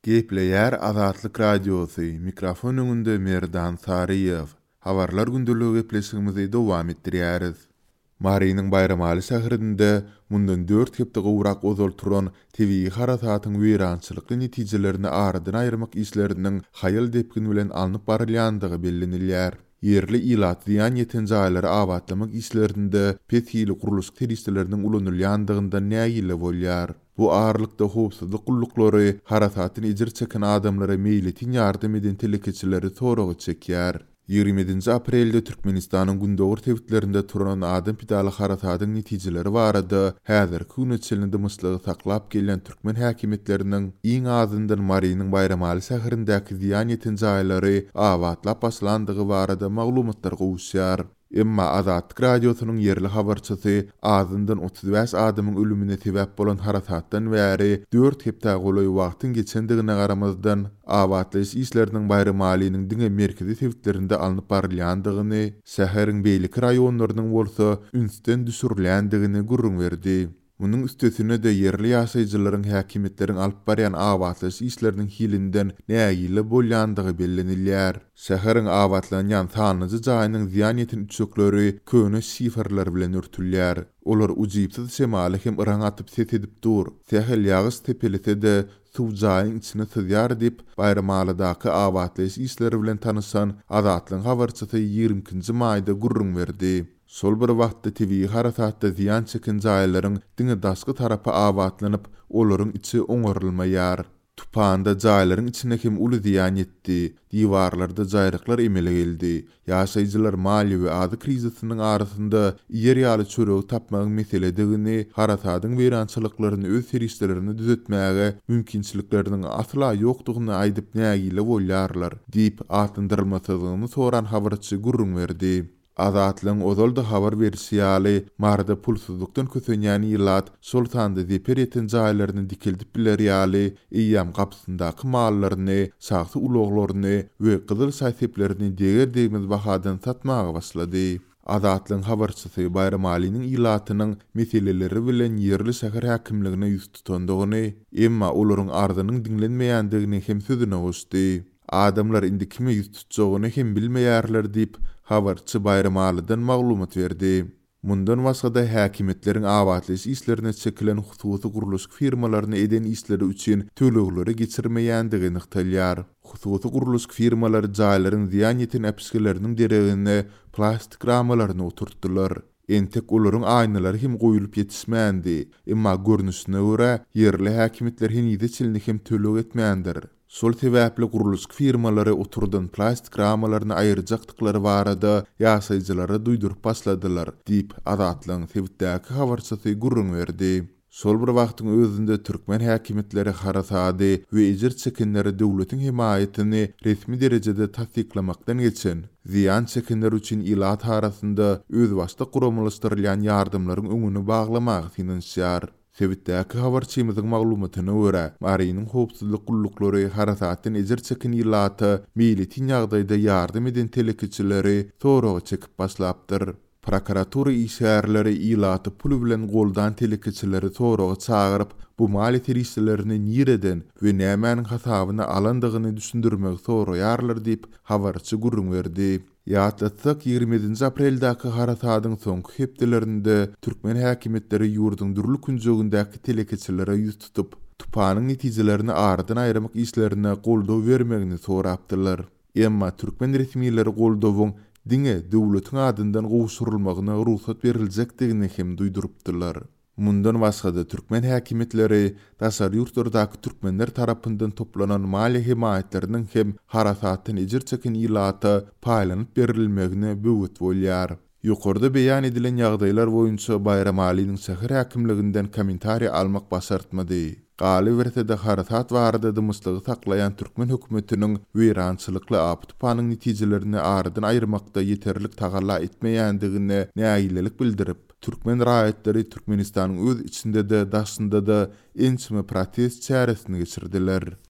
Gepleýär Azatlyk Radiosy, mikrofon öňünde Merdan Saryýew. Habarlar gündeligi gepleşigimizi dowam etdirýäris. Marynyň Baýramaly şäherinde mundan dört hepde gowrak ozal turan tebigy harasatyň weýrançylykly netijelerini aradan aýyrmak işleriniň haýal depgin bilen alnyp barylýandygy bellenilýär. Ýerli ilat zyýan ýeten jaýlary abatlamak işlerinde pes hili gurluşyk serişdeleriniň ulanylýandygyndan nägile bolýar. Bu aralykda, howpsuzlyk gulluklary harasatdan ejir çeken adamlara meýletin ýardam eden telekeçileri soraga çekýär. 27-nji aprelde Türkmenistanyň gündogar sebitlerinde turan adam pidaly harasadyň netijeleri barada häzirki güne çenli dymyşlygy saklap gelýän türkmen häkimiýetleriniň iň azyndan Marynyň Baýramaly şäherindäki zyýan ýeten jaýlary abatlap başlandygy barada maglumatlar gowuşýar. Emma Azatlyk Radiosynyň ýerli habarçysy azyndan 35 adamyň ölümine sebäp bolan harasatdan bäri dört hepdä golaý wagtyň geçendigine garamazdan, abatlaýyş işleriniň Baýramalynyň diňe merkezi sebitlerinde alnyp barylýandygyny, şäheriň beýleki raýonlarynyň bolsa ünsden düşürilýändigini gürrüň berdi. Munuň üstesine-de, ýerli ýaşaýjylaryň häkimiýetleriň alyp barýan abatlaýyş işleriniň hilinden nägile bolýandygy bellenilýär. Şäheriň abatlanýan sanlyja jaýynyň zyýan ýeten üçekleri köne şiferler bilen örtülýär. Olar ujypsyz şemala hem yraň atyp ses edip dur. Sähel ýagyş sepelese-de, suw jaýyň içine syzýar diýip, Baýramalydaky abatlaýyş işleri bilen tanyşan Azatlygyň habarçysy 22-nji maýda gürrüň berdi. Şol bir wagtda tebigy harasatda zyýan çeken jaýlaryň diňe daşky tarapy abatlanyp, olaryň içi oňarylmaýar. Tupanda jaýlaryň içine hem uly zyýan ýetdi, diwarlarda jaýryklar emele geldi. Ýaşaýjylar maliýe we azyk krizisiniň arasynda iýer ýaly çöregi tapmagyň meseledigini, harasadyň weýrançylyklaryny öz serişdelerine düzetmäge mümkinçilikleriniň asla ýokdugyny aýdyp nägile bolýarlar diýip, atlandyrylmasyzlygyny soran habarçy gürrüň berdi. Azatlygyň ozal-da habar berişi ýaly, Maryda pulsuzlykdan kösenýän ilat, şol sanda zeper ýeten jaýlaryny dikeldip biler ýaly, eýýäm gapysyndaky mallaryny, şahsy ulaglaryny we gyzyl şaý-seplerini deger-degmez bahadan satmaga başlady. Azatlygyň habarçysy Baýramalynyň ilatynyň meseleleri bilen ýerli şäher häkimligine ýüz tutandygyny, emma olaryň arzynyň diňlenmeýändigini hem sözüne goşdy. Adamlar indi kime ýüz tutjagyny hem bilmeýärler diýip, habarçy Baýramalydan maglumat berdi. Mundan başga-da, häkimiýetleriň abatlaýyş işlerine çekilen hususy gurluşyk firmalaryna eden işleri üçin tölegleri geçirmeýändigi nygtalýar. Hususy gurluşyk firmalary jaýlaryň zyýan ýeten äpişgeleriniň deregine plastik ramalaryny oturtdylar. Entek olaryň aýnalary hem goýulyp ýetişmändi. Emma görnüşine görä, ýerli häkimiýetler henize çenli hem töleg etmändir. Şol sebäpli gurluşyk firmalary oturdan plastik ramalaryny aýyrjakdyklary barada ýaşaýjylara duýduryp başladylar, diýip, Azatlygyň sebitdäki habarçysy gürrüň berdi. Şol bir wagtyň özünde türkmen häkimiýetleri harasady we ejir çekenlere döwletiň hemaýatyny resmi derejede tassyklamakdan geçen, zyýan çekenler üçin ilat arasynda özbaşdak guramalaşdyrylýan ýardamlaryň öňüni baglamaga synanyşýar. Sebitdäki habarçymyzyň maglumatyna görä, Marynyň howpsuzlyk gulluklary harasatdan ejir çeken ilata meýletin ýagdaýda ýardam eden telekeçileri soraga çekip başlapdyr. Prokuratura işgärleri ilaty pul bilen goldan telekeçileri soraga çagyryp, bu maliýe serişdelerini nireden we nämäniň hasabyna alandygyny düşündirmegi soraýarlar diýip, habarçy gürrüň berdi. Ýatlatsak, 27-nji apreldäki harasadyň soňky hepdelerinde türkmen häkimiýetleri ýurduň dürli künjegindäki telekeçilere ýüz tutup, tupanyň netijelerini aradan aýyrmak işlerine goldaw bermegini sorapdylar. Emma türkmen resmileri goldawyň diňe döwletiň adyndan gowşurylmagyna rugsat beriljekdigini hem duýdurypdylar. Mundan başga-da, türkmen häkimiýetleri daşary ýurtlardaky türkmenler tarapyndan toplanan maliýe hemaýatlarynyň hem harasatdan ejir çeken ilata paýlanyp berilmegine böwet bolýar. Ýokarda beýan edilen ýagdaýlar boýunça Baýramalynyň şäher häkimliginden kommentariý almak başartmady. Galyberse-de, harasat barada dymyşlygy saklaýan türkmen hökümetiniň weýrançylykly apy-tupanyň netijelerini aradan aýyrmakda ýeterlik tagalla etmeýändigine nägilelik bildirip, Türkmen raýatlary Türkmenistanyň öz içinde-de, daşynda-da ençeme protest çäresini geçirdiler.